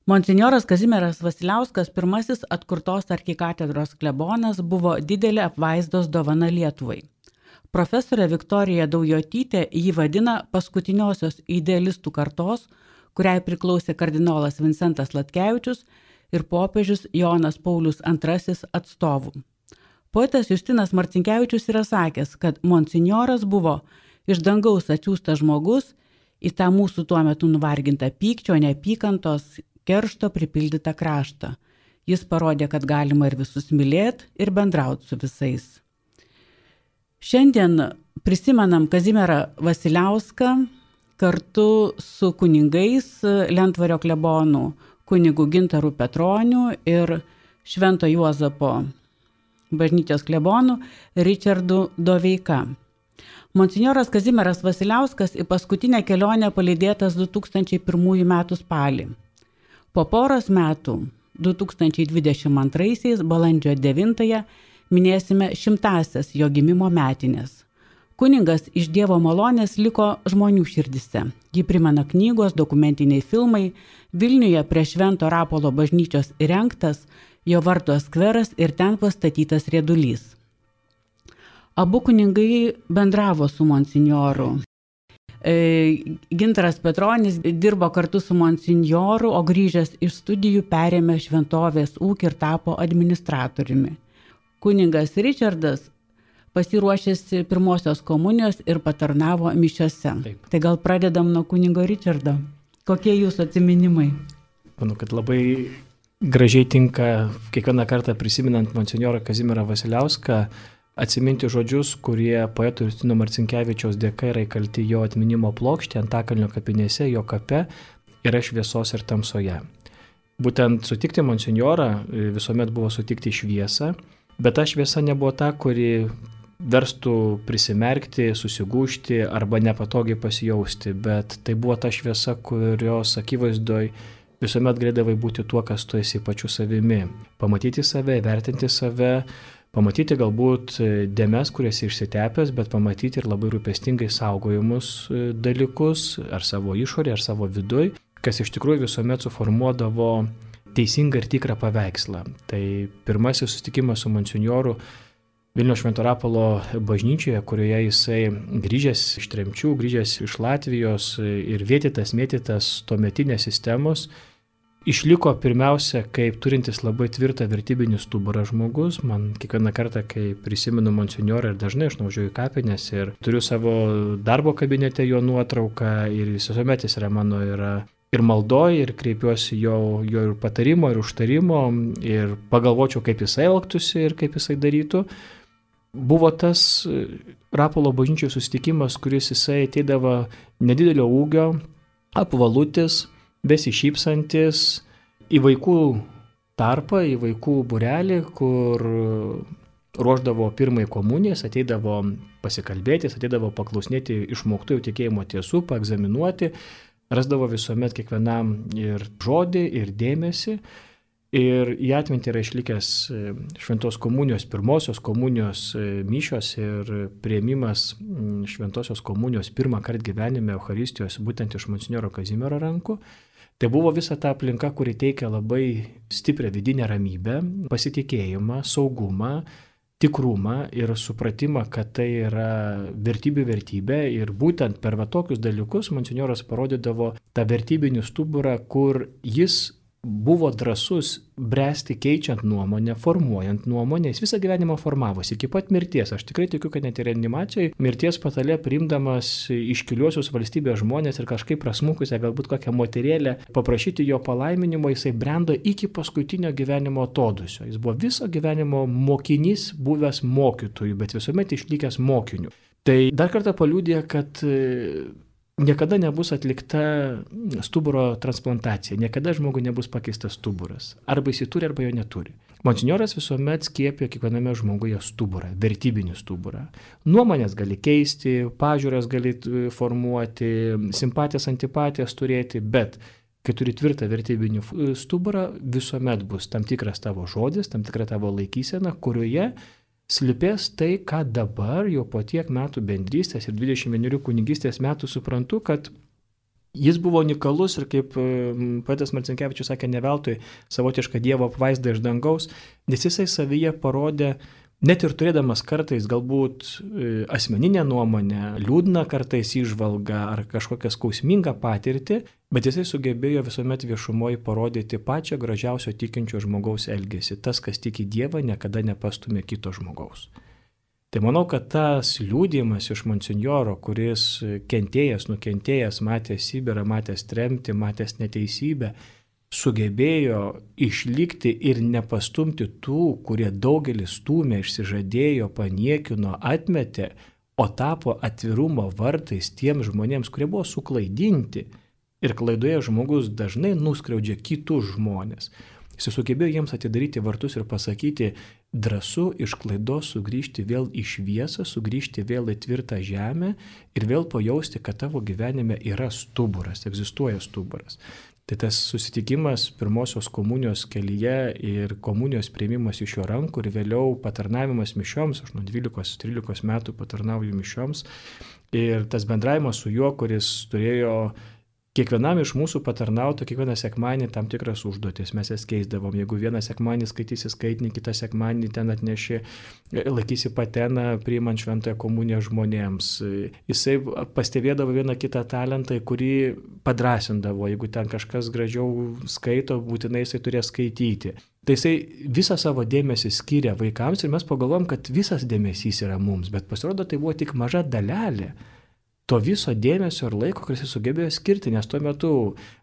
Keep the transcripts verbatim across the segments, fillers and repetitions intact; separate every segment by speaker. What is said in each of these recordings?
Speaker 1: Monsinjoras Kazimieras Vasiliauskas, pirmasis atkurtos arkikatedros klebonas, buvo didelė apvaizdos dovana Lietuvai. Profesorė Viktorija Daujotytė jį vadina paskutiniosios idealistų kartos, kuriai priklausė kardinolas Vincentas Latkevičius ir popiežius Jonas Paulius antrasis atstovų. Poetas Justinas Marcinkevičius yra sakęs, kad monsinjoras buvo iš dangaus atsiųstas žmogus į tą mūsų tuo metu nuvargintą pykčio, neapykantos, keršto pripildytą kraštą. Jis parodė, kad galima ir visus mylėti ir bendrauti su visais. Šiandien prisimenam Kazimierą Vasiliauską kartu su kunigais Lentvario klebonu, kunigu Gintaru Petroniu ir Švento Juozapo bažnyčios klebonu Ričardu Doveika. Monsinjoras Kazimieras Vasiliauskas į paskutinę kelionę palydėtas du tūkstančiai pirmųjų metų spalį. Po poros metų, du tūkstančiai dvidešimt antraisiais, balandžio devintąją, minėsime šimtąsias jo gimimo metinės. Kuningas iš Dievo malonės liko žmonių širdise. Jį primena knygos, dokumentiniai filmai, Vilniuje prie Švento Rapolo bažnyčios įrengtas jo vardo skveras ir ten pastatytas riedulys. Abu kunigai bendravo su monsinjoru. Gintaras Petronis dirbo kartu su monsinjoru, o grįžęs iš studijų perėmė šventovės ūkį ir tapo administratoriumi. Kuningas Ričardas pasiruošėsi pirmosios komunijos ir patarnavo mišiose. Taip. Tai gal pradedam nuo kunigo Ričardo. Kokie jūsų atsiminimai?
Speaker 2: Manau, kad labai gražiai tinka kiekvieną kartą prisiminant monsinjorą Kazimierą Vasiliauską atsiminti žodžius, kurie poeto Justino Marcinkevičiaus dėka yra įkalti jo atminimo plokštė Antakalnio kapinėse, jo kape yra šviesos ir tamsoje. Būtent sutikti monsinjorą visuomet buvo sutikti šviesą, bet ta šviesa nebuvo ta, kuri verstų prisimerkti, susigūžti arba nepatogiai pasijausti, bet tai buvo ta šviesa, kurios akivaizdoj visuomet galėdavai būti tuo, kas tu esi pačiu savimi. Pamatyti save, vertinti save, pamatyti galbūt dėmes, kurias išsitepęs, bet pamatyti ir labai rūpestingai saugojimus dalykus, ar savo išorė, ar savo viduj, kas iš tikrųjų visuomet suformuodavo teisingą ir tikrą paveikslą. Tai pirmasis susitikimas su monsinjoru Vilniaus Švento Rapolo bažnyčioje, kurioje jisai grįžęs iš tremčių, grįžęs iš Latvijos ir vėtytas, mėtytas tuometinės sistemos, išliko pirmiausia kaip turintis labai tvirtą vertybinį stuburą žmogus. Man kiekvieną kartą, kai prisimenu monsinjorą ir dažnai aš nuvažiuoju į kapines ir turiu savo darbo kabinete jo nuotrauką ir visuomet jis yra mano yra ir maldoj, ir kreipiuosi jo, jo ir patarimo, ir užtarimo, ir pagalvočiau, kaip jisai elgtųsi ir kaip jisai darytų. Buvo tas Rapolo bažnyčios susitikimas, kuris jisai ateidavo nedidelio ūgio, apvalutis, besišypsantis į vaikų tarpą, į vaikų būrelį, kur ruošdavo pirmąjį komunijas, ateidavo pasikalbėti, ateidavo paklausinėti išmoktų jau tikėjimo tiesų, paegzaminuoti, rasdavo visuomet kiekvienam ir žodį, ir dėmesį. Ir į atmintį yra išlikęs šventos komunijos, pirmosios komunijos mišios ir priėmimas šventosios komunijos pirmą kartą gyvenime Eucharistijos būtent iš monsinjoro Kazimiero rankų. Tai buvo visa ta aplinka, kuri teikia labai stiprią vidinę ramybę, pasitikėjimą, saugumą, tikrumą ir supratimą, kad tai yra vertybių vertybė. Ir būtent per va tokius dalykus monsinjoras parodydavo tą vertybinį stuburą, kur jis buvo drąsus bręsti keičiant nuomonę, formuojant nuomonę. Jis visą gyvenimą formavosi iki pat mirties. Aš tikrai tikiu, kad net ir reanimacijoje mirties patale priimdamas iškiliuosius valstybės žmonės ir kažkaip prasmukusią galbūt kokią moterėlę paprašyti jo palaiminimo, jisai brendo iki paskutinio gyvenimo atodūsio. Jis buvo viso gyvenimo mokinys, buvęs mokytojų, bet visuomet išlikęs mokiniu. Tai dar kartą paliudija, kad niekada nebus atlikta stuburo transplantacija, niekada žmogui nebus pakeistas stuburas. Arba jis turi, arba jo neturi. Monsinjoras visuomet skiepė kiekviename žmoguje stuburą, vertybinį stuburą. Nuomonės gali keisti, pažiūras gali formuoti, simpatijas, antipatijas turėti, bet kai turi tvirtą vertybinį stuburą, visuomet bus tam tikras tavo žodis, tam tikra tavo laikysena, kurioje slipės tai, ką dabar jau po tiek metų bendrystės ir dvidešimt vienerių kunigystės metų suprantu, kad Jis buvo unikalus ir kaip poetas Marcinkevičius sakė, ne veltui savotišką Dievo apvaizdą iš dangaus, nes jisai savyje parodė, net ir turėdamas kartais galbūt asmeninę nuomonę, liūdną kartais įžvalgą ar kažkokią skausmingą patirtį, bet jisai sugebėjo visuomet viešumoje parodyti pačią gražiausio tikinčio žmogaus elgesį. Tas, kas tiki Dievą, niekada nepastumė kito žmogaus. Tai manau, kad tas liūdėjimas iš monsinjoro, kuris kentėjęs, nukentėjęs, matęs Sibirą, matęs tremtį, matęs neteisybę, sugebėjo išlikti ir nepastumti tų, kurie daugelis stūmė, išsižadėjo, paniekino, atmetė, o tapo atvirumo vartais tiems žmonėms, kurie buvo suklaidinti. Ir klaidoje žmogus dažnai nuskriaudžia kitus žmonės. Jis sugebėjo jiems atidaryti vartus ir pasakyti, drąsu iš klaidos sugrįžti vėl į šviesą, sugrįžti vėl į tvirtą žemę ir vėl pajausti, kad tavo gyvenime yra stuburas, egzistuoja stuburas. Tai tas susitikimas pirmosios komunijos kelyje ir komunijos priėmimas iš jo rankų ir vėliau patarnavimas mišioms, aš nuo dvylikos trylikos metų patarnauju mišioms, ir tas bendravimas su juo, kuris turėjo kiekvienam iš mūsų patarnautų kiekvieną sekmanį tam tikras užduotis, mes jas keisdavom. Jeigu vieną sekmanį skaitysi skaitinį, kitą sekmanį ten atneši, laikysi pateną, priimant šventąją komuniją žmonėms. Jisai pastebėdavo vieną kitą talentą, kurį padrasindavo. Jeigu ten kažkas gražiau skaito, būtinai jisai turės skaityti. Tai jisai visą savo dėmesį skiria vaikams ir mes pagalvom, kad visas dėmesys yra mums, bet pasirodo, tai buvo tik maža dalelė to viso dėmesio ir laiko, kuris jis sugebėjo skirti, nes tuo metu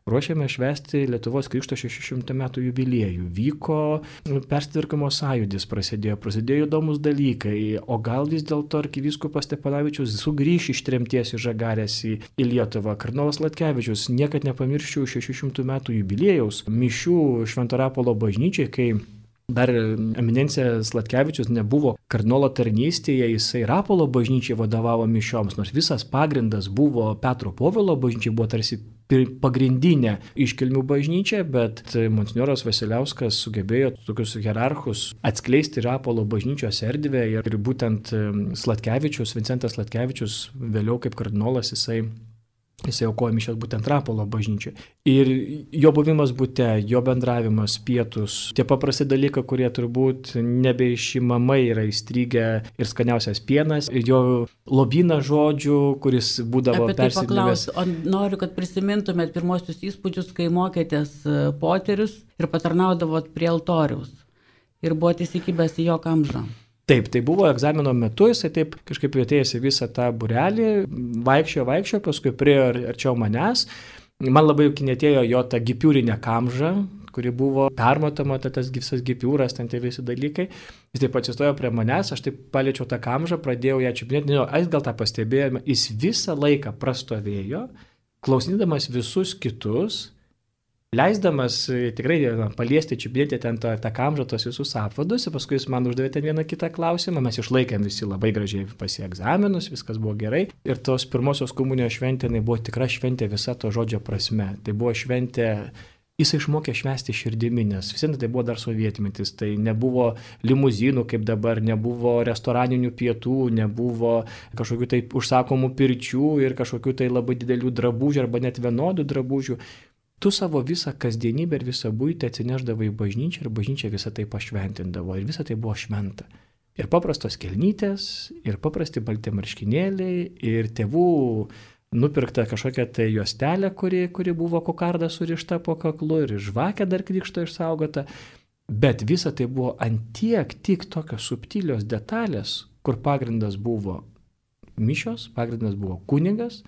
Speaker 2: ruošėme švęsti Lietuvos Krikšto šešių šimtų metų jubiliejų, vyko persitvarkymo sąjūdis, prasidėjo, prasidėjo įdomus dalykai, o gal vis dėlto arkivyskupas Stepanavičius sugrįš iš tremties į Žagarės į, į Lietuvą. Kardinolas Sladkevičius, niekad nepamirščiau šešių šimtų metų jubiliejaus mišių Švento Rapolo bažnyčiai, kai dar eminencija Sladkevičius nebuvo kardinolo tarnystėje, jisai Rapolo bažnyčiai vadovavo mišioms, nors visas pagrindas buvo Petro Povilo bažnyčiai, buvo tarsi pagrindinė iškilmių bažnyčia, bet monsinjoras Vasiliauskas sugebėjo tokius hierarchus atskleisti Rapolo bažnyčios erdvę ir būtent Sladkevičius, Vincentas Sladkevičius, vėliau kaip kardinolas jisai Jisai aukojo mišias būtent Rapolo bažnyčiai. Ir jo buvimas bute, jo bendravimas, pietus, tie paprasti dalykai, kurie turbūt nebeišimamai yra įstrigę, ir skaniausias pienas, ir jo lobynas žodžių, kuris būdavo persidavęs.
Speaker 1: O noriu, kad prisimintumėt pirmosius įspūdžius, kai mokėtės poterius ir patarnaudavot prie altoriaus ir buvot įsikibęs į jo kamžą.
Speaker 2: Taip, tai buvo egzamino metu, jisai taip kažkaip atėjęs į visą tą būrelį, vaikščiojo, vaikščiojo, paskui priejo arčiau manęs. Man labai kinėtėjo jo tą gipiūrinę kamžą, kuri buvo permatoma, tas visas gipiūras, ten tie visi dalykai. Jis taip atsistojo prie manęs, aš taip paliečiau tą kamžą, pradėjau ją čiupinėti, nežinau, aš gal tą pastebėjome, jis visą laiką prastovėjo, klausydamas visus kitus, leisdamas tikrai paliesti, čiupinėti ten tą, tą kamžą, tos visus apvadus, ir paskui jis man uždavė ten vieną kitą klausimą, mes išlaikėm visi labai gražiai pasi egzaminus, viskas buvo gerai. Ir tos pirmosios komunijos šventė, tai buvo tikra šventė visa to žodžio prasme. Tai buvo šventė, jis išmokė švęsti širdimi, nes vis tai buvo dar sovietmetis, tai nebuvo limuzinų kaip dabar, nebuvo restoraninių pietų, nebuvo kažkokių tai užsakomų pirčių ir kažkokių tai labai didelių drabužių arba net vienodų drabužių. Tu savo visą kasdienybę ir visą buitį atsineždavai į bažnyčią ir bažnyčia visą tai pašventindavo ir visą tai buvo šventa. Ir paprastos kelnytės, ir paprasti balti marškinėliai, ir tėvų nupirkta kažkokia tai juostelė, kuri, kuri buvo kokarda surišta po kaklu, ir žvakė dar krikšto išsaugota. Bet visa tai buvo antiek tik tokios subtilios detalės, kur pagrindas buvo mišios, pagrindas buvo kunigas,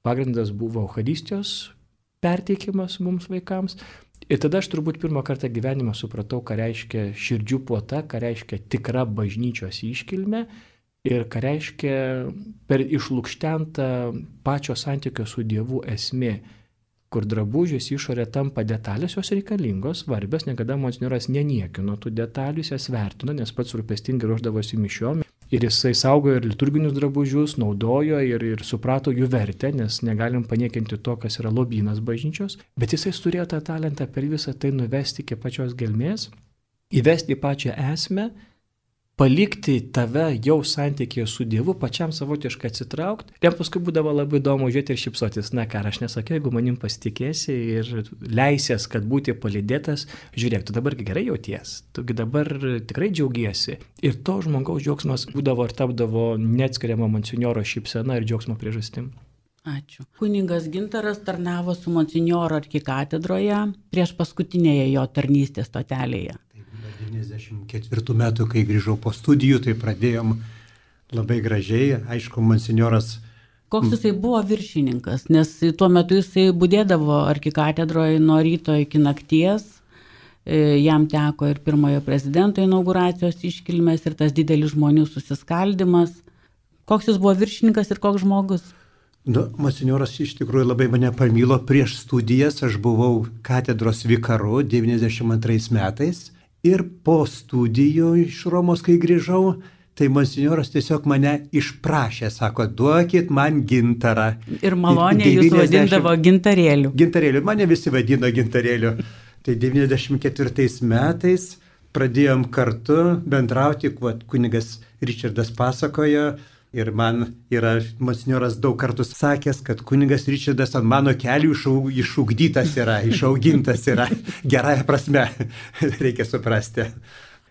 Speaker 2: pagrindas buvo Eucharistijos perteikimas mums vaikams. Ir tada aš turbūt pirmą kartą gyvenime supratau, ką reiškia širdžių puota, ką reiškia tikra bažnyčios iškilmė ir ką reiškia per išlukštentą pačio santykio su Dievu esmė, kur drabužės išorė tampa detalės, jos reikalingos, svarbios, niekada monsinjoras neniekino tų detalių, jas vertino, nes pats rūpestingai ruošdavosi mišiom. Ir jisai saugojo ir liturginius drabužius, naudojo ir, ir suprato jų vertę, nes negalim paniekinti to, kas yra lobynas bažnyčios. Bet jisai turėjo tą talentą per visą tai nuvesti iki pačios gelmės, įvesti į pačią esmę palikti tave jau santykėje su Dievu, pačiam savotiškai atsitraukti. Ir jam paskui būdavo labai įdomu žiūrėti ir šypsotis. Na ką, aš nesakiau, jeigu manim pasitikėsi ir leisies, kad būti palydėtas, žiūrėk, tu dabar gerai jauties, tugi dabar tikrai džiaugiesi. Ir to žmogaus džiaugsmas būdavo ir tapdavo neatskiriama monsinjoro šypsena ir džiaugsmo priežastim.
Speaker 1: Ačiū. Kuningas Gintaras tarnavo su monsinjoro arkikatedroje prieš paskutinėje jo tarnystės stotelėje.
Speaker 3: devyniasdešimt ketvirtų metų, kai grįžau po studijų, tai pradėjom labai gražiai, aišku, monsinjoras.
Speaker 1: Koks jisai buvo viršininkas, nes tuo metu jisai budėdavo arkikatedroje nuo ryto iki nakties, jam teko ir pirmojo prezidento inauguracijos iškilmės ir tas didelis žmonių susiskaldimas. Koks jis buvo viršininkas ir koks žmogus?
Speaker 3: Nu, monsinjoras iš tikrųjų labai mane pamilo prieš studijas, aš buvau katedros vikaru devyniasdešimt antrais metais. Ir po studijų iš Romos, kai grįžau, tai monsinjoras tiesiog mane išprašė, sako, duokit man gintarą.
Speaker 1: Ir maloniai jūs vadindavo gintarėliu.
Speaker 3: Gintarėliu, mane visi vadino gintarėliu. Tai devyniasdešimt ketvirtais metais pradėjom kartu bendrauti, kunigas Ričardas pasakojo. Ir man yra monsinjoras daug kartų sakęs, kad kunigas Ričardas ant mano kelių išugdytas yra, išaugintas yra, gerąją prasme, reikia suprasti.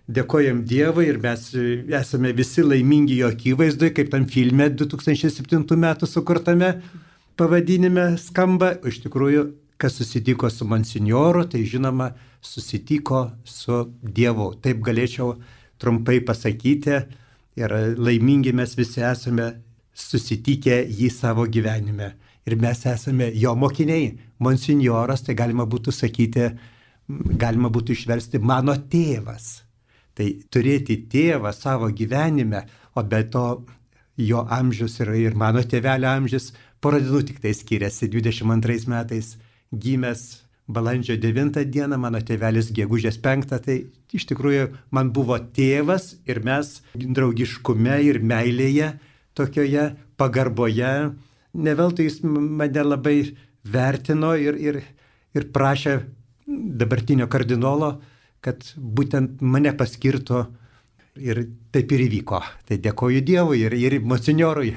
Speaker 3: Dėkojam Dievui ir mes esame visi laimingi jo akivaizdui, kaip tam filme du tūkstančiai septintų metų sukurtame pavadinime skamba. Iš tikrųjų, kas susitiko su monsinjoru, tai žinoma, susitiko su Dievu. Taip galėčiau trumpai pasakyti. Ir laimingi mes visi esame susitikę jį savo gyvenime. Ir mes esame jo mokiniai. Monsinjoras, tai galima būtų sakyti, galima būtų išversti mano tėvas. Tai turėti tėvą savo gyvenime, o be to jo amžius yra ir mano tėvelio amžius, porą dienų tik tai skiriasi. dvidešimt antrais metais gimęs balandžio devintą dieną, mano tėvelis gegužės penktą, tai iš tikrųjų man buvo tėvas ir mes draugiškume ir meilėje, tokioje pagarboje, ne veltui jis mane labai vertino ir, ir, ir prašė dabartinio kardinolo, kad būtent mane paskirtų ir taip ir įvyko. Tai dėkoju Dievui ir, ir monsinjorui.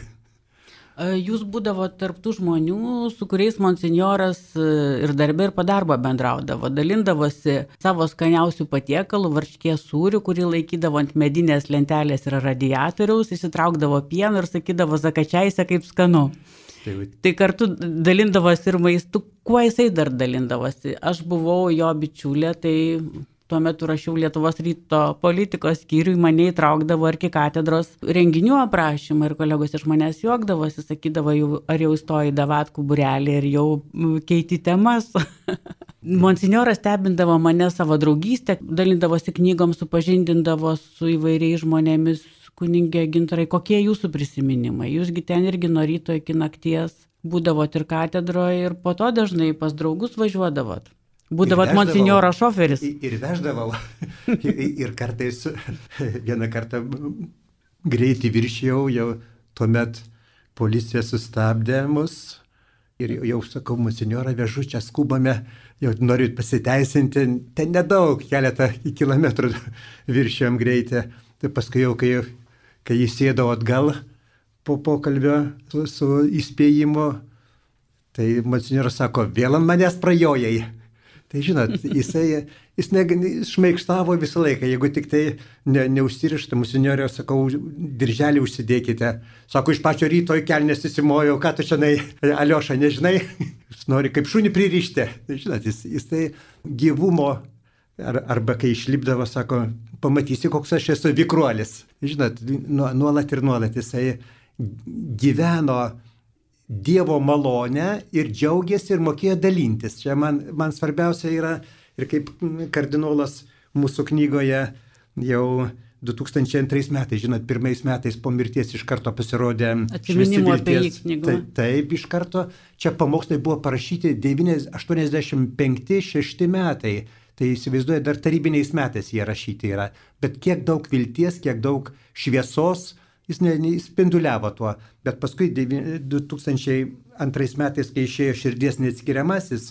Speaker 1: Jūs būdavo tarptų žmonių, su kuriais monsinjoras ir darbė ir po darbo bendraudavo, dalindavosi savo skaniausių patiekalų, varškės sūrių, kurį laikydavo ant medinės lentelės ir radiatoriaus, įsitraukdavo pieną ir sakydavo zakačiaise kaip skanu. Tai, tai kartu dalindavosi ir maistu, kuo jisai dar dalindavosi. Aš buvau jo bičiulė, tai tuo metu rašiau Lietuvos ryto politikos skyriui, mane įtraukdavo arkikatedros renginių aprašymą ir kolegos iš manęs juokdavosi, sakydavo, jau, ar jau įstoji davatkų būrelį ir jau keiti temas. Monsinjoras stebindavo mane savo draugystę, dalindavosi knygom, supažindindavo su įvairiais žmonėmis. Kunigė Gintarai, kokie jūsų prisiminimai? Jūsgi ten irgi nuo ryto iki nakties būdavot ir katedroje ir po to dažnai pas draugus važiuodavot. Būdavot monsinjoro šoferis.
Speaker 3: Ir veždavau. ir, ir kartais vieną kartą greitį viršijau, jau tuomet policija sustabdė mus ir jau sakau, monsinjorą vežu, čia skubame, jau noriu pasiteisinti, ten nedaug, keletą kilometrų viršijom greitį. Tai paskui jau, kai, kai jis sėdau atgal po pokalbio su, su įspėjimu, tai monsinjoras sako, vėl ant manęs prajojai. Tai žinot, jisai, jis ne, šmaikštavo visą laiką, jeigu tik tai ne, neužsirišta, monsinjorė, sakau, dirželį užsidėkite. Sako, iš pačio ryto į kelnes įsimojau, ką tu šiandien, Alioša, nežinai, jis nori kaip šunį pririšti. Tai žinot, jis, jis tai gyvumo, ar, arba kai išlipdavo, sako, pamatysi, koks aš esu vikruolis. Žinot, nuolat ir nuolat jisai gyveno Dievo malonę ir džiaugiasi ir mokėjo dalintis. Čia man, man svarbiausia yra, ir kaip kardinolas mūsų knygoje jau du tūkstančiai antrais metais, žinot, pirmais metais po mirties iš karto pasirodė
Speaker 1: Atsiminimų apie jį knygą.
Speaker 3: Taip, taip, iš karto. Čia pamokslai buvo parašyti aštuoniasdešimt penkti šešti metai. Tai įsivaizduoja, dar tarybiniais metais jie rašyti yra. Bet kiek daug vilties, kiek daug šviesos, jis neįspinduliavo tuo, bet paskui du tūkstančiai antrais metais, kai išėjo Širdies neatskiriamasis,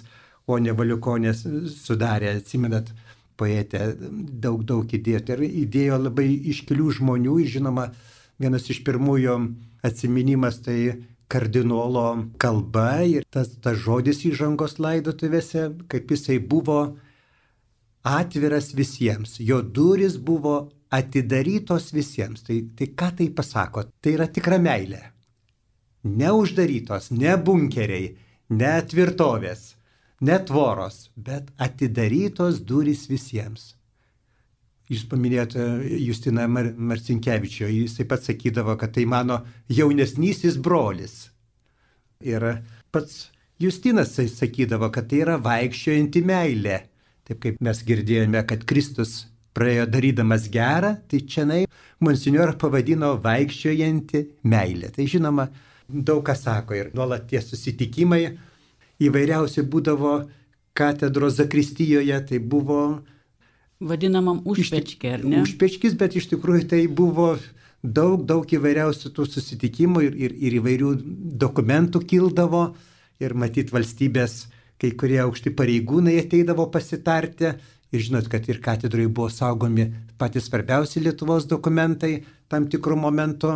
Speaker 3: o ne Valiukonės sudarė, atsimenat, poetė daug, daug įdėjo. Tai įdėjo labai iškilių žmonių, žinoma, vienas iš pirmųjų atsiminimas tai kardinolo kalba ir tas, tas žodis įžangos laidotuvėse, kaip jisai buvo atviras visiems, jo duris buvo atidarytos visiems. Tai, tai ką tai pasako? Tai yra tikra meilė. Neuždarytos, ne bunkeriai, ne tvirtovės, ne tvoros, bet atidarytos durys visiems. Jūs paminėjote Justiną Mar- Marcinkevičių, jis taip pat sakydavo, kad tai mano jaunesnysis brolis. Ir pats Justinas sakydavo, kad tai yra vaikščiojanti meilė. Taip kaip mes girdėjome, kad Kristus praėjo darydamas gerą, tai čianai monsinjorą pavadino vaikščiojanti meilė. Tai žinoma, daug ką sako ir nuolat tie susitikimai įvairiausi būdavo katedros zakristijoje, tai buvo
Speaker 1: vadinamam užpečkė, ar ne?
Speaker 3: Užpečkis, bet iš tikrųjų tai buvo daug, daug įvairiausių tų susitikimų ir, ir, ir įvairių dokumentų kildavo ir matyt valstybės kai kurie aukšti pareigūnai ateidavo pasitarti. Ir žinot, kad ir katedroje buvo saugomi patys svarbiausi Lietuvos dokumentai tam tikrų momentų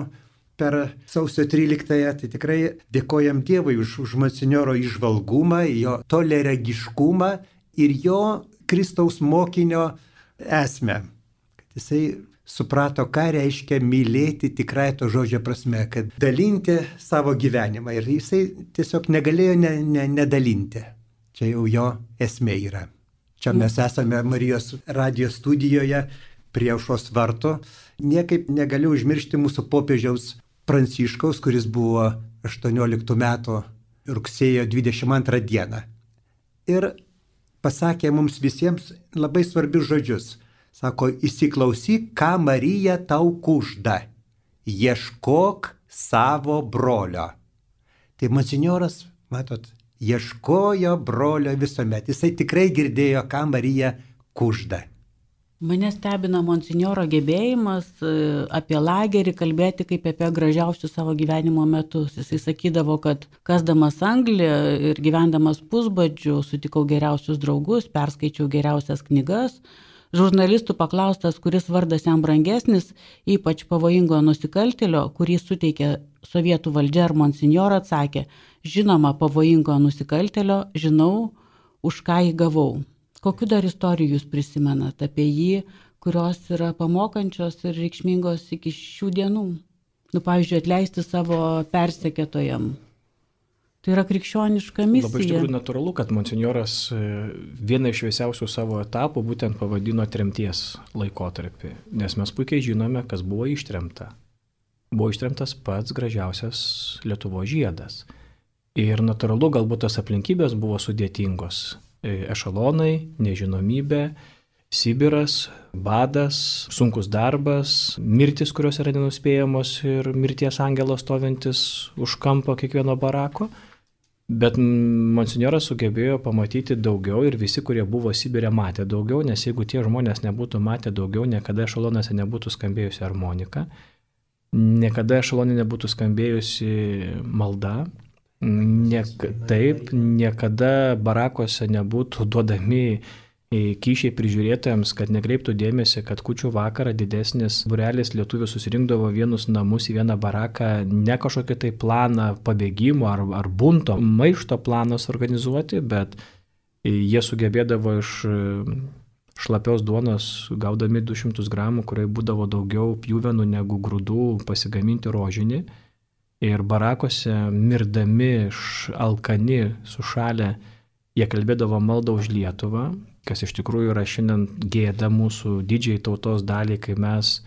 Speaker 3: per sausio tryliktąją. Tai tikrai dėkojam Dievui už, už monsinjoro įžvalgumą, jo toliaregiškumą ir jo Kristaus mokinio esmę. Kad jisai suprato, ką reiškia mylėti tikrai to žodžio prasme, kad dalinti savo gyvenimą. Ir jisai tiesiog negalėjo ne, ne, nedalinti. Čia jau jo esmė yra. Čia mes esame Marijos radijo studijoje prie Aušros vartų. Niekaip negaliu užmiršti mūsų popiežiaus Pranciškaus, kuris buvo aštuonioliktų metų rugsėjo dvidešimt antrą dieną. Ir pasakė mums visiems labai svarbius žodžius. Sako, įsiklausyk, ką Marija tau kužda. Ieškok savo brolio. Tai monsinjoras, matot, ieškojo brolio visuomet. Jisai tikrai girdėjo, ką Marija kužda.
Speaker 1: Mane stebina monsinjoro gebėjimas apie lagerį kalbėti kaip apie gražiausius savo gyvenimo metus. Jisai sakydavo, kad kasdamas anglį ir gyvendamas pusbadžiu sutikau geriausius draugus, perskaičiau geriausias knygas. Žurnalistų paklaustas, kuris vardas jam brangesnis, ypač pavojingo nusikaltėlio, kurį suteikė sovietų valdžia ar monsinjoro, atsakė, žinoma, pavojingo nusikaltėlio, žinau, už ką jį gavau. Kokiu dar istorijų jūs prisimenat apie jį, kurios yra pamokančios ir reikšmingos iki šių dienų? Nu, pavyzdžiui, atleisti savo persekėtojam. Tai yra krikščioniška misija.
Speaker 2: Labai iš tikrųjų natūralu, kad monsinjoras vieną iš šviesiausių savo etapų būtent pavadino tremties laikotarpį, nes mes puikiai žinome, kas buvo ištremta. Buvo ištremtas pats gražiausias Lietuvos žiedas. Ir natūralu, galbūt tas aplinkybės buvo sudėtingos. Ešalonai, nežinomybė, Sibiras, badas, sunkus darbas, mirtis, kurios yra nenuspėjamos ir mirties angelos stovintis už kampo kiekvieno barako. Bet monsinjoras sugebėjo pamatyti daugiau ir visi, kurie buvo Sibire, matė daugiau, nes jeigu tie žmonės nebūtų matę daugiau, niekada ešalonose nebūtų skambėjusi armonika, niekada ešalonė nebūtų skambėjusi malda. Niek, taip, niekada barakose nebūtų duodami kyšiai prižiūrėtojams, kad nekreiptų dėmesį, kad kūčių vakarą didesnis būrelis lietuvių susirinkdavo vienus namus į vieną baraką, ne kažkokį tai planą pabėgimo ar, ar bunto, maišto planas organizuoti, bet jie sugebėdavo iš šlapios duonos, gaudami du šimtus gramų, kurioje būdavo daugiau pjuvenų negu grūdų, pasigaminti rožinį. Ir barakose, mirdami, alkani, sušalę, jie kalbėdavo maldą už Lietuvą, kas iš tikrųjų yra šiandien gėda mūsų didžiai tautos daliai, kai mes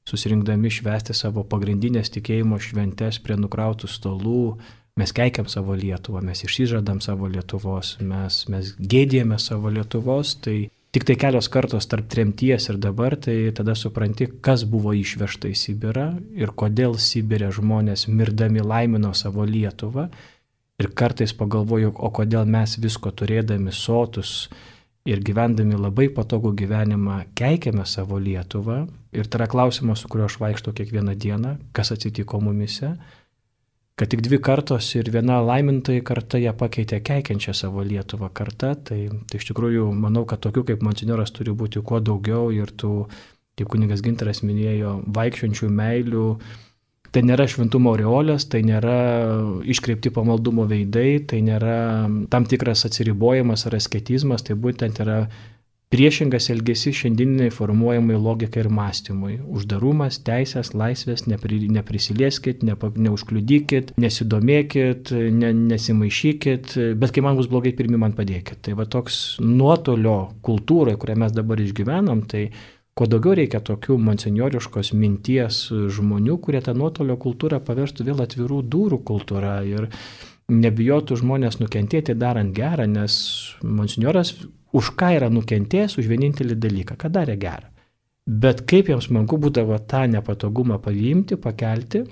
Speaker 2: susirinkdami švęsti savo pagrindinės tikėjimo šventes prie nukrautų stolų, mes keikiam savo Lietuvą, mes išsižadam savo Lietuvos, mes, mes gėdėjame savo Lietuvos, tai tik tai kelios kartos tarp tremties ir dabar, tai tada supranti, kas buvo išvežta į Sibirą ir kodėl Sibirė žmonės mirdami laimino savo Lietuvą. Ir kartais pagalvoju, o kodėl mes visko turėdami sotus ir gyvendami labai patogų gyvenimą keikiame savo Lietuvą. Ir tai yra klausimas, su kuriuo aš vaikštau kiekvieną dieną, kas atsitiko mumise, kad tik dvi kartos ir viena laimintoji karta ją pakeitė keikiančią savo Lietuvą kartą. Tai, tai iš tikrųjų manau, kad tokių kaip monsinjoras turi būti kuo daugiau ir tų, kaip kunigas Gintaras minėjo, vaikščiančių meilių. Tai nėra šventumo aureolės, tai nėra iškreipti pamaldumo veidai, tai nėra tam tikras atsiribojimas ar asketizmas, tai būtent yra priešingas elgesys šiandieniniai formuojamai logikai ir mąstymui. Uždarumas, teisės, laisvės, nepri, neprisilieskit, nepa, neužkliudykit, nesidomėkit, ne, nesimaišykit, bet kai man bus blogai, pirmi man padėkit. Tai va toks nuotolio kultūrai, kurią mes dabar išgyvenam, tai kuo daugiau reikia tokių monsinjoriškos minties žmonių, kurie tą nuotolio kultūrą paverstų vėl atvirų durų kultūrą ir nebijotų žmonės nukentėti darant gerą, nes monsinjoras už ką yra nukentėjęs, už vienintelį dalyką, kad darė gerą. Bet kaip jiems smagu būdavo tą nepatogumą paimti, pakelti,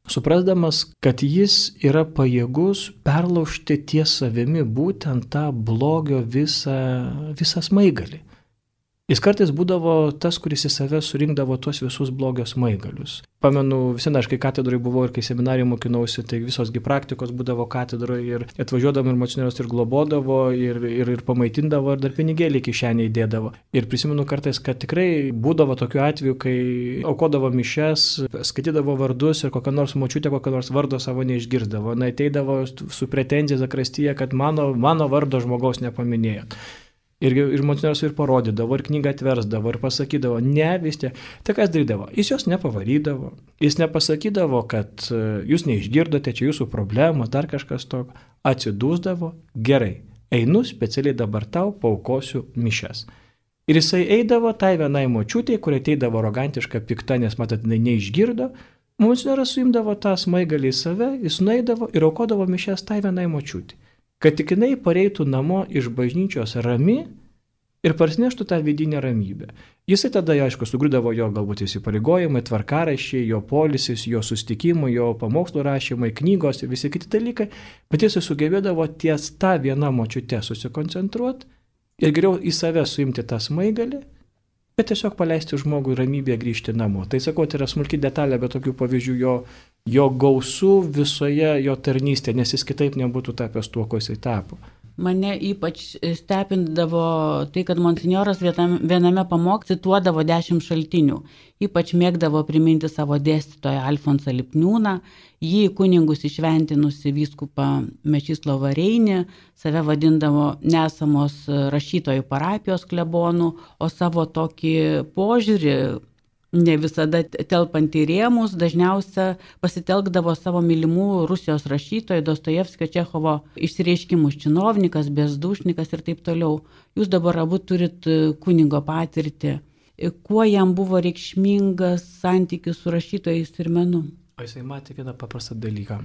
Speaker 2: suprasdamas, kad jis yra pajėgus perlaužti ties savimi būtent tą blogio visą, visą smaigalį. Jis kartais būdavo tas, kuris į save surinkdavo tuos visus blogio smaigalius. Pamenu, visą aš kai katedroje buvau ir kai seminarijai mokinausi, tai visosgi praktikos būdavo katedroje ir atvažiuodavo ir monsinjoras ir globodavo ir, ir, ir pamaitindavo ir dar pinigėlį kišenėje įdėdavo. Ir prisimenu kartais, kad tikrai būdavo tokiu atveju, kai aukodavo mišes, skaitydavo vardus ir kokią nors močiutę, kokią nors vardo savo neišgirdavo. Na, ateidavo su pretenzija zakrastyje, kad mano, mano vardo žmogaus nepaminėjot. Ir, ir monsinjoras ir parodydavo, ir knygą atversdavo, ir pasakydavo, ne, vis tiek. Tai kas darydavo? Jis jos nepavarydavo, jis nepasakydavo, kad jūs neišgirdote, čia jūsų problema, dar kažkas tokio. Atsidūsdavo, gerai, einu specialiai dabar tau, paukosiu mišes. Ir jisai eidavo tai vienai močiutei, kuri ateidavo arogantiška pikta, nes matot, neišgirdo. Monsinjoras suimdavo tą smaigalį į save, jis nueidavo ir aukodavo mišes tai vienai močiutei. Kad tik jinai pareitų namo iš bažnyčios rami ir parsineštų tą vidinę ramybę. Jisai tada, aišku, sugriūdavo jo galbūt įsipareigojimai, tvarkaraščiai, jo polisis, jo susitikimai, jo pamokslų rašymai, knygos ir visi kiti dalykai, bet jisai sugebėdavo ties tą vieną močiutę susikoncentruoti ir geriau į save suimti tą smaigalį, bet tiesiog paleisti žmogui ramybėje grįžti namo. Tai sakau, tai yra smulki detalė, bet tokių pavyzdžių jo, jo gausų visoje jo tarnystėje, nes jis kitaip nebūtų tapęs tuo, ko jisai tapo.
Speaker 1: Mane ypač stebindavo tai, kad monsinjoras viename pamoksle cituodavo dešimt šaltinių. Ypač mėgdavo priminti savo dėstytoją Alfonsą Lipniūną, jį kunigus išventinusi vyskupą Mečislovą Reinį, save vadindavo nesamos rašytojų parapijos klebonų, o savo tokį požiūrį, ne visada telpant į rėmus, dažniausia pasitelkdavo savo mylimų Rusijos rašytojų Dostojevskio, Čechovo išsireiškimus činovnikas, bezdušnikas ir taip toliau. Jūs dabar abu turit kunigo patirtį. Kuo jam buvo reikšmingas santykis su rašytojais ir menu?
Speaker 2: O jisai matė vieną paprastą dalyką.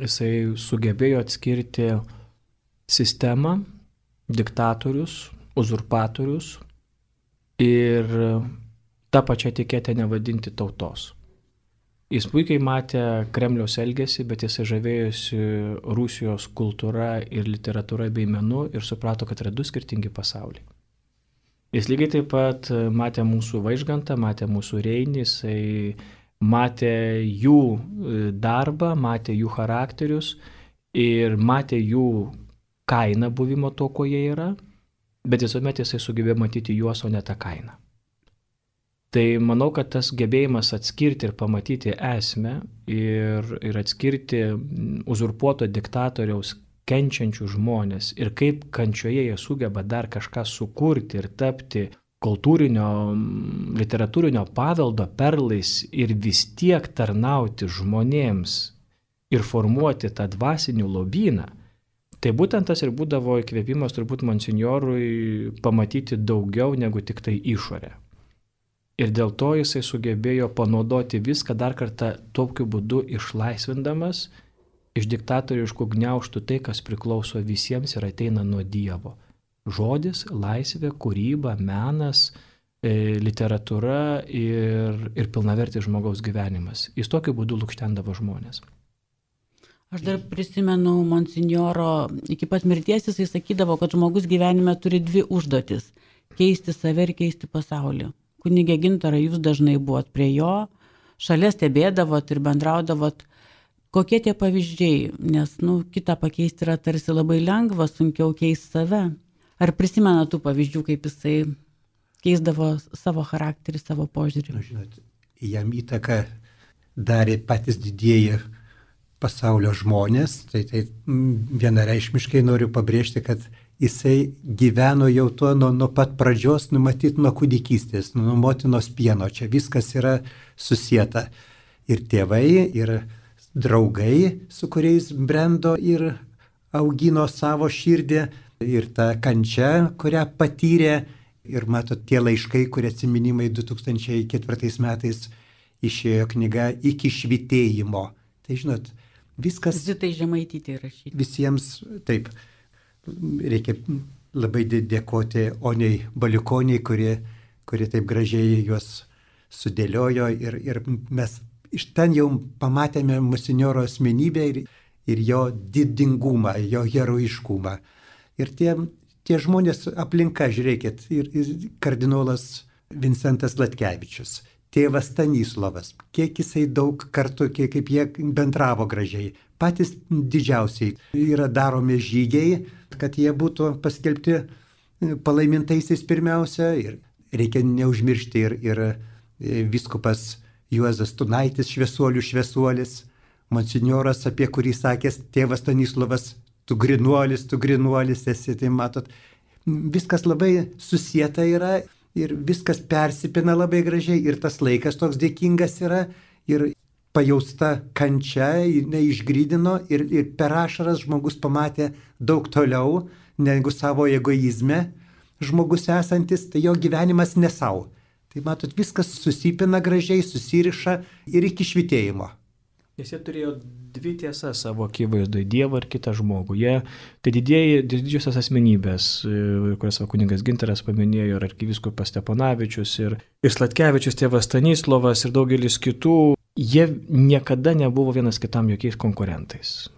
Speaker 2: Jisai sugebėjo atskirti sistemą, diktatorius, uzurpatorius ir tą pačią etiketę nevadinti tautos. Jis puikiai matė Kremliaus elgesį, bet jisai žavėjosi Rusijos kultūra ir literatūra bei menu ir suprato, kad yra du skirtingi pasauliai. Jis lygiai taip pat matė mūsų Vaižgantą, matė mūsų Reinį, jisai matė jų darbą, matė jų charakterius ir matė jų kainą buvimo to, ko jie yra, bet visuomet jisai sugebėjo matyti juos, o ne tą kainą. Tai manau, kad tas gebėjimas atskirti ir pamatyti esmę ir, ir atskirti uzurpuoto diktatoriaus kenčiančių žmonės ir kaip kančioje jie sugeba dar kažką sukurti ir tapti kultūrinio, literatūrinio paveldo perlais ir vis tiek tarnauti žmonėms ir formuoti tą dvasinį lobyną, tai būtent tas ir būdavo įkvėpimas turbūt monsinjorui pamatyti daugiau negu tik tai išorę. Ir dėl to jisai sugebėjo panaudoti viską dar kartą tokiu būdu išlaisvindamas iš diktatoriškų gniaužtų tai, kas priklauso visiems ir ateina nuo Dievo. Žodis, laisvė, kūryba, menas, e, literatūra ir, ir pilnavertis žmogaus gyvenimas. Jis tokiu būdu lukštendavo žmonės.
Speaker 1: Aš dar prisimenu monsinjoro, iki pat mirties jisai sakydavo, kad žmogus gyvenime turi dvi užduotis – keisti save ir keisti pasaulį. Kunigė Gintarai, jūs dažnai buvot prie jo, šalia stebėdavot ir bendraudavot. Kokie tie pavyzdžiai, nes, nu, kitą pakeisti yra tarsi labai lengva, sunkiau keisti save. Ar prisimena tų pavyzdžių, kaip jisai keisdavo savo charakterį, savo požiūrį?
Speaker 3: Nu, žinot, jam įtaką darė patys didieji pasaulio žmonės, tai, tai vienareikšmiškai noriu pabrėžti, kad jisai gyveno jau tuo nuo, nuo pat pradžios, numatyt nuo kūdikystės, nuo motinos pieno, čia viskas yra susieta. Ir tėvai, ir draugai, su kuriais brendo ir augino savo širdį, ir ta kančia, kurią patyrė. Ir matot, tie laiškai, kurie atsiminimai du tūkstančiai ketvirtais metais išėjo knyga Iki švytėjimo. Tai žinot, viskas...
Speaker 1: Zitai Žemaitytei rašyti.
Speaker 3: Visiems, taip, reikia labai dėkoti Oniai Baliukoniai, kuri, kuri taip gražiai juos sudėliojo. Ir, ir mes iš ten jau pamatėme monsinjoro asmenybę ir, ir jo didingumą, jo heroiškumą. Ir tie... Tie žmonės aplinka, žiūrėkit, ir, ir kardinolas Vincentas Latkevičius, tėvas Stanislovas, kiek jisai daug kartų, kiek, kaip jie bendravo gražiai. Patys didžiausiai yra daromi žygiai, kad jie būtų paskelbti palaimintaisiais pirmiausia. Ir reikia neužmiršti ir, ir vyskupas Juozas Tunaitis, šviesuolių šviesuolis, monsinjoras, apie kurį sakęs tėvas Stanislovas, tu grinuolis, tu grinuolis esi, tai matot, viskas labai susieta yra ir viskas persipina labai gražiai ir tas laikas toks dėkingas yra ir pajausta kančia, jinai išgrydino ir, ir per ašaras žmogus pamatė daug toliau negu savo egoizme žmogus esantis, tai jo gyvenimas ne savo. Tai matot, viskas susipina gražiai, susiriša ir iki švytėjimo.
Speaker 2: Nes jie turėjo dvi tiesas savo akivaizdoje, Dievą ir kitą žmogų. Jie, tai didieji, didžiosios asmenybės, kurias kunigas Gintaras paminėjo, ir arkivyskupas Steponavičius, ir, ir Slatkevičius, tėvas Stanislovas ir daugelis kitų, jie niekada nebuvo vienas kitam jokiais konkurentais.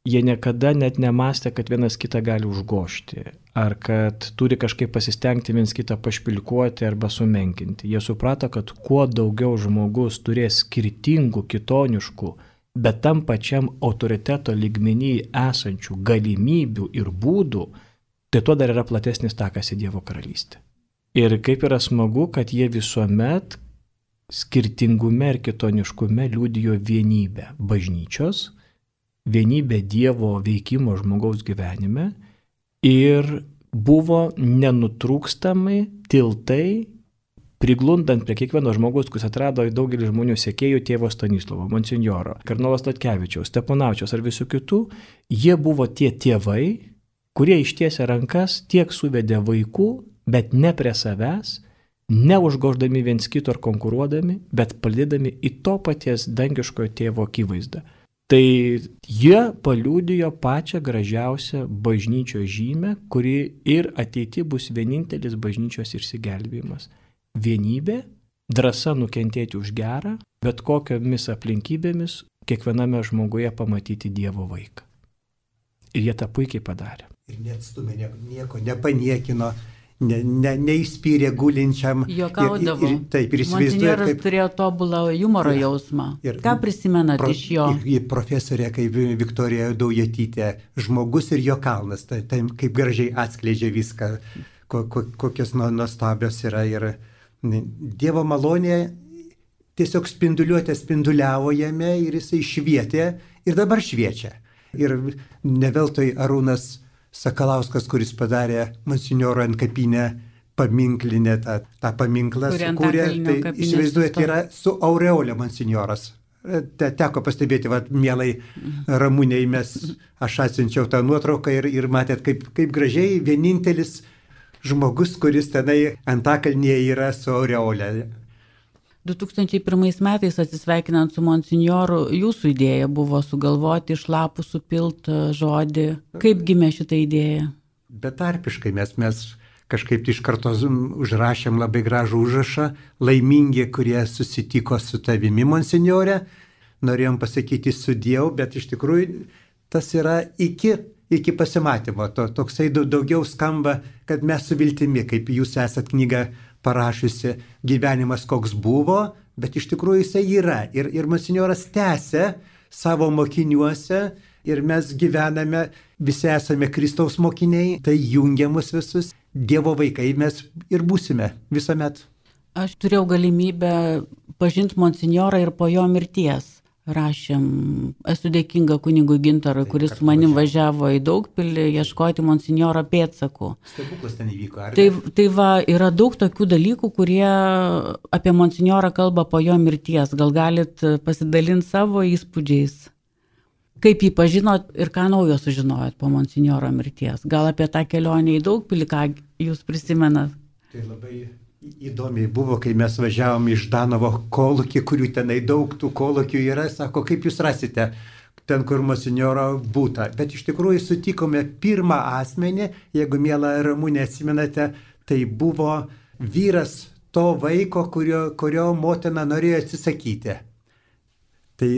Speaker 2: Jie niekada net nemastė, kad vienas kitą gali užgožti, ar kad turi kažkaip pasistengti vienas kitą pašpilkuoti arba sumenkinti. Jie suprato, kad kuo daugiau žmogus turės skirtingų, kitoniškų, bet tam pačiam autoriteto lygmenį esančių galimybių ir būdų, tai tuo dar yra platesnis takas į Dievo karalystę. Ir kaip yra smagu, kad jie visuomet skirtingume ir kitoniškume liudijo vienybę bažnyčios, vienybė Dievo veikimo žmogaus gyvenime ir buvo nenutrūkstamai tiltai, priglundant prie kiekvieno žmogus, kuris atrado daugelį žmonių sekėjų tėvo Stanislovo, monsinjoro, kardinolas Latkevičiaus, Steponavičiaus ar visų kitų, jie buvo tie tėvai, kurie ištiesė rankas tiek suvedė vaikų, bet ne prie savęs, neužgoždami viens kito ar konkuruodami, bet palydami į to paties dangiškojo tėvo akivaizdą. Tai jie paliudijo pačią gražiausią bažnyčios žymę, kuri ir ateity bus vienintelis bažnyčios išsigelbėjimas. Vienybė, drąsa nukentėti už gerą, bet kokiomis aplinkybėmis kiekviename žmoguje pamatyti Dievo vaiką. Ir jie tą puikiai padarė.
Speaker 3: Ir neatstumė, nieko nepaniekino, ne, ne, neįspyrė gulinčiam.
Speaker 1: Juokaudavo.
Speaker 3: Ir, ir, taip, ir įsivaizduoja,
Speaker 1: Monsinjoras
Speaker 3: kaip...
Speaker 1: turėjo tobulą humoro jausmą. Ir, Ką prisimenat
Speaker 3: pro,
Speaker 1: iš jo?
Speaker 3: Ir, ir profesorė kaip Viktorija Daujotytė, žmogus ir jo kalnas, tai, tai kaip gražiai atskleidžia viską, ko, ko, kokios nuostabios yra. Ir Dievo malonė tiesiog spinduliuotė spinduliavo jame ir jisai švietė ir dabar šviečia. Ir ne veltui Arūnas Sakalauskas, kuris padarė monsinjoro antkapinę paminklinę, tą, tą paminklą sukūrė, tai įsivaizduojate, yra su aureolė monsinjoras. Te, teko pastebėti, va, mielai Ramūniai, mes, aš atsiunčiau tą nuotrauką ir, ir matėt, kaip, kaip gražiai vienintelis žmogus, kuris tenai antakalnyje yra su aureolė.
Speaker 1: du tūkstančiai pirmais metais atsisveikinant su monsinjoru, jūsų idėja buvo sugalvoti iš lapų supilt žodį. Kaip gimė šitą idėją?
Speaker 3: Betarpiškai mes, mes kažkaip iš karto užrašėm labai gražų užrašą, laimingi, kurie susitiko su tavimi, monsinjore. Norėjom pasakyti sudiev, bet iš tikrųjų tas yra iki, iki pasimatymo. To, toksai daugiau skamba, kad mes su viltimi, kaip jūs esat knygą parašiusi, gyvenimas koks buvo, bet iš tikrųjų jisai yra. Ir, ir monsinjoras tęsia savo mokiniuose ir mes gyvename, visi esame Kristaus mokiniai, tai jungia mus visus, Dievo vaikai mes ir būsime visuomet.
Speaker 1: Aš turėjau galimybę pažinti monsinjorą ir po jo mirties. Rašėm, esu dėkinga kunigui Gintarui, kuris su manim važiavo į Daugpilį ieškoti monsinjoro pėdsakų.
Speaker 3: Stebuklas ten įvyko, ar
Speaker 1: tai,
Speaker 3: ne?
Speaker 1: tai va, yra daug tokių dalykų, kurie apie monsinjorą kalba po jo mirties. Gal galit pasidalinti savo įspūdžiais? Kaip jį pažinot ir ką naujo sužinojot po monsinjoro mirties? Gal apie tą kelionę į Daugpilį, ką jūs prisimenat?
Speaker 3: Tai labai įdomiai buvo, kai mes važiavom iš Danovo kolūkį, kurių tenai daug tų kolūkių yra, sako, kaip jūs rasite ten, kur monsinjoro būta. Bet iš tikrųjų sutikome pirmą asmenį, jeigu mielą Ramūnę atsimenate, tai buvo vyras to vaiko, kurio, kurio motina norėjo atsisakyti. Tai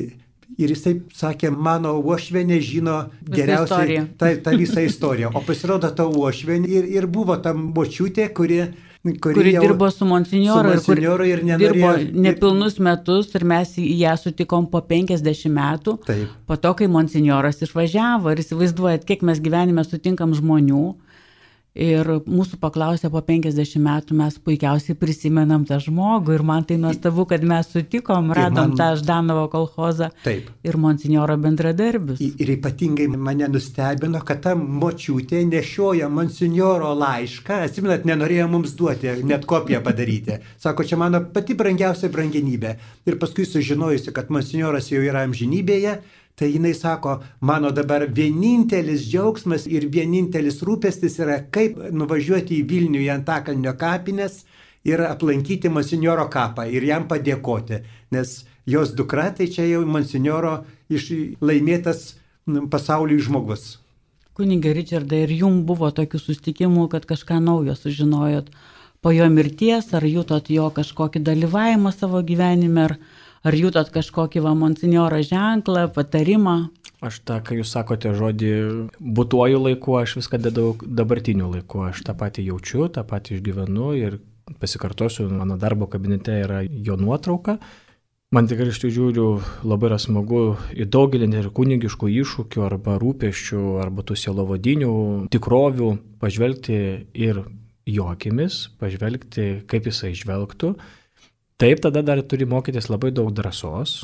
Speaker 3: ir jisai sakė, mano uošvienė žino geriausiai tą, tą visą istoriją. O pasirodo, ta uošvienė ir, ir buvo ta močiutė, kuri
Speaker 1: Kuri, kuri dirbo su monsinjoru ir,
Speaker 3: ir
Speaker 1: dirbo nepilnus metus ir mes ją sutikom po penkiasdešimt metų.
Speaker 3: Taip.
Speaker 1: Po to, kai monsinjoras išvažiavo ir įsivaizduojat, kiek mes gyvenime sutinkam žmonių ir mūsų paklausė po penkiasdešimt metų, mes puikiausiai prisimenam tą žmogų ir man tai nuostabu, kad mes sutikom, radom man... tą Ždanovo kolchozą.
Speaker 3: Taip.
Speaker 1: Ir monsinjoro bendradarbius.
Speaker 3: Ir ypatingai mane nustebino, kad ta močiutė nešioja monsinjoro laišką, atsimenat, nenorėjo mums duoti, net kopiją padaryti. Sako, čia mano pati brangiausia brangenybė. Ir paskui sužinojusi, kad monsinjoras jau yra amžinybėje, tai jinai sako, mano dabar vienintelis džiaugsmas ir vienintelis rūpestis yra, kaip nuvažiuoti į Vilnių į Antakalnio kapines ir aplankyti monsinjoro kapą ir jam padėkoti. Nes jos dukra, tai čia jau monsinjoro iš laimėtas pasauliui žmogus.
Speaker 1: Kunige Ričardai, ir jums buvo tokių susitikimų, kad kažką naujo sužinojot po jo mirties, ar jutot jo kažkokį dalyvavimą savo gyvenime, ar Ar jūtot kažkokį va monsinjoro ženklą, patarimą?
Speaker 2: Aš tą, kai jūs sakote žodį būtuoju laiku, aš viską dedau dabartiniu laiku. Aš tą patį jaučiu, tą patį išgyvenu ir pasikartosiu, mano darbo kabinete yra jo nuotrauka. Man tikrai iš tikrųjų žiūriu, labai yra smagu į daugelį ir kunigiškų iššūkių arba rūpesčių, arba tų sielovadinių tikrovių pažvelgti ir jo akimis, pažvelgti, kaip jisai žvelgtų. Taip, tada dar turi mokytis labai daug drąsos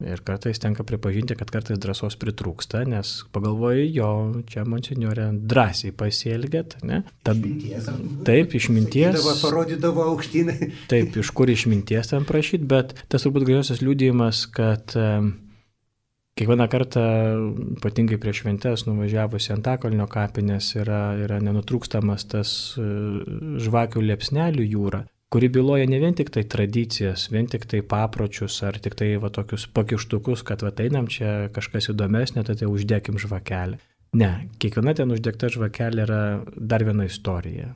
Speaker 2: ir kartais tenka pripažinti, kad kartais drąsos pritrūksta, nes pagalvoju, jo, čia monsinjorė drąsiai pasielgėt, ne? Tad, taip, išminties.
Speaker 3: Sakydavo, parodydavo aukštynai.
Speaker 2: Taip, iš kur išminties ten prašyti, bet tas turbūt gražiausias liudijimas, kad e, kiekvieną kartą, ypatingai prieš šventes, nuvažiavus į Antakalnio kapines, yra, yra nenutrūkstamas tas e, žvakių liepsnelių jūra, kuri byloja ne vien tik tai tradicijas, vien tik tai papročius ar tik tai va tokius pakištukus, kad va einam čia kažkas įdomesnė, tai tai uždėkim žvakelę. Ne, kiekviena ten uždegta žvakelė yra dar viena istorija.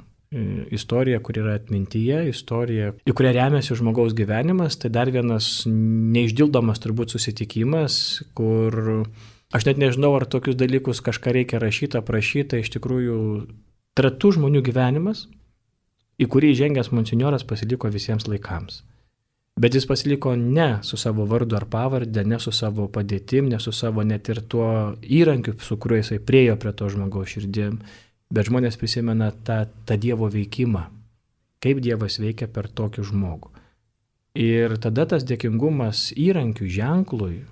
Speaker 2: Istorija, kur yra atmintyje, istorija, į kurią remiasi žmogaus gyvenimas, tai dar vienas neišdildomas turbūt susitikimas, kur aš net nežinau, ar tokius dalykus kažką reikia rašyti, aprašyti, iš tikrųjų tai yra tų žmonių gyvenimas, į kurį žengęs monsinjoras pasiliko visiems laikams. Bet jis pasiliko ne su savo vardu ar pavarde, ne su savo padėtim, ne su savo net ir tuo įrankiu, su kuriuo jisai priejo prie to žmogaus širdim, bet žmonės prisimena tą, tą Dievo veikimą, kaip Dievas veikia per tokį žmogų. Ir tada tas dėkingumas įrankių ženklui,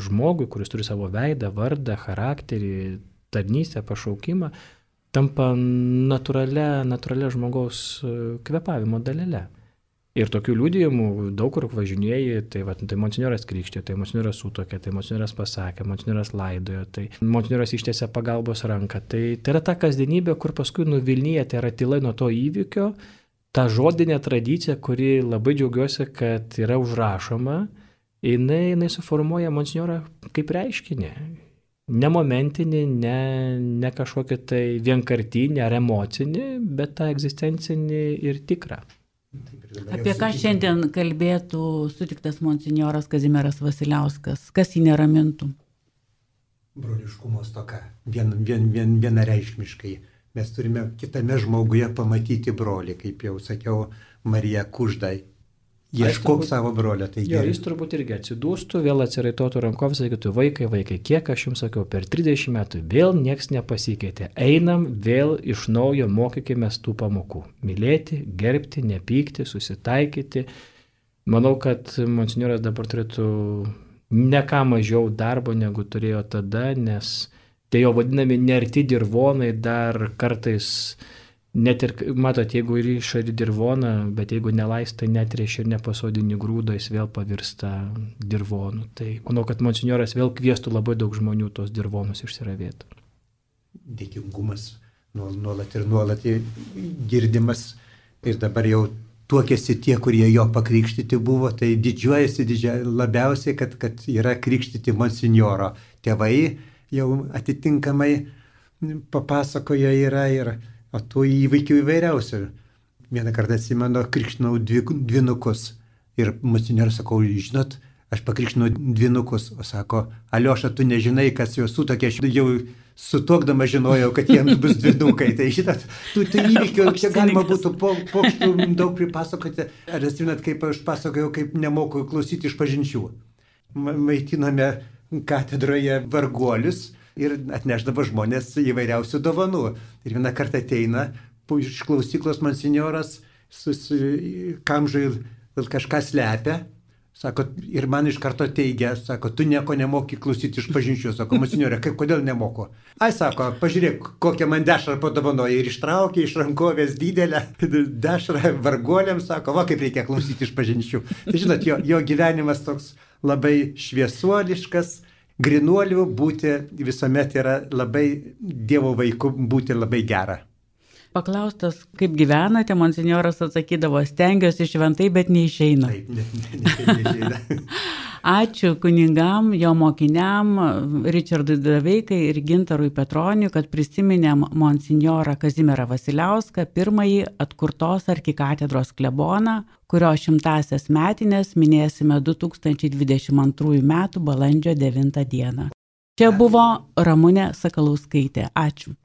Speaker 2: žmogui, kuris turi savo veidą, vardą, charakterį, tarnystę, pašaukimą, tampa natūralia, natūralia žmogaus kvėpavimo dalele. Ir tokių liudijimų daug kur važinėjai, tai, va, tai monsinjoras krikštė, tai monsinjoras sutokė, tai monsinjoras pasakė, monsinjoras laidojo, tai monsinjoras ištiesė pagalbos ranką. Tai, tai yra ta kasdienybė, kur paskui nuvilnyja, tai yra tyla nuo to įvykio, ta žodinė tradicija, kuri labai džiaugiuosi, kad yra užrašoma, jinai, jinai suformuoja monsinjorą kaip reiškinį. Ne momentinį, ne, ne kažkokį tai vienkartinį ar emocinį, bet tą egzistencinį ir tikrą.
Speaker 1: Apie ką šiandien kalbėtų sutiktas monsinjoras Kazimieras Vasiliauskas? Kas jį neramintų?
Speaker 3: Broliškumo stoka. Vien, vien, vien, vienareikšmiškai. Mes turime kitame žmoguje pamatyti brolį, kaip jau sakiau, Marija Kuždai. Ieškok savo brolio. Tai
Speaker 2: jo, jis turbūt irgi atsidūstų, vėl atsiraitotų rankovės, sakytų, vaikai, vaikai, kiek aš jums sakiau, per trisdešimt metų vėl nieks nepasikeitė. Einam vėl iš naujo, mokykime tų pamokų. Mylėti, gerbti, nepykti, susitaikyti. Manau, kad monsinjoras dabar turėtų ne ką mažiau darbo, negu turėjo tada, nes tie jo vadinami nerti dirvonai dar kartais. Net ir, matot, jeigu ir išari dirvoną, bet jeigu nelaistai netrėši ir nepasodini grūdą, jis vėl pavirsta dirvonu. Tai manau, kad monsinjoras vėl kviestų labai daug žmonių tos dirvonus išsiravėti.
Speaker 3: Dėkingumas nuolat ir nuolat girdimas. Ir dabar jau tuokėsi tie, kurie jo pakrikštyti buvo, tai didžiuojasi didžia, labiausiai, kad, kad yra krikštyti monsinjoro. Tėvai jau atitinkamai papasakoja yra ir o tų įvykių įvairiausių. Vieną kartą atsimenu, krikštinau dvi, dvinukus. Ir monsinjoras sakau, žinot, aš pakrikštinau dvinukus. O sako, Alioša, tu nežinai, kas juos sutokė. Aš jau sutuokdama žinojau, kad jiems bus dvinukai. Tai žinot, tų, tų įvykių čia galima būtų po, pokštų daug pripasakoti. Ar atsimenu, kaip aš pasakojau, kaip nemoku klausyti iš pažinčių. Maitiname katedroje varguolius. Ir atneždavo žmonės įvairiausių dovanų. Ir vieną kartą ateina iš klausyklos monsinjoras, kamžai kažką slepia, sako, ir man iš karto teigia, sako, tu nieko nemoki klausyti iš pažinčių. Sako, monsinjorė, kaip, kodėl nemoku? Ai, sako, pažiūrėk, kokią man dešrą padovanoja. Ir ištraukė iš rankovės didelę dešrą varguoliams, sako, va, kaip reikia klausyti iš pažinčių. Tai žinot, jo, jo gyvenimas toks labai šviesuoliškas. Grinuolių būti visuomet yra labai, Dievo vaikų būti labai gera.
Speaker 1: Paklaustas, kaip gyvenate, monsinjoras atsakydavo, stengiuosi šventai, bet neišeina.
Speaker 3: Taip, ne, ne, ne, neišeina.
Speaker 1: Ačiū kunigam, jo mokiniam, Ričardui Daveikai ir Gintarui Petroniui, kad prisiminėm monsinjorą Kazimierą Vasiliauską, pirmąjį atkurtos arkikatedros kleboną, kurio šimtasias metinės minėsime du tūkstančiai dvidešimt antrųjų metų balandžio devintą dieną. Čia buvo Ramunė Sakalauskaitė. Ačiū.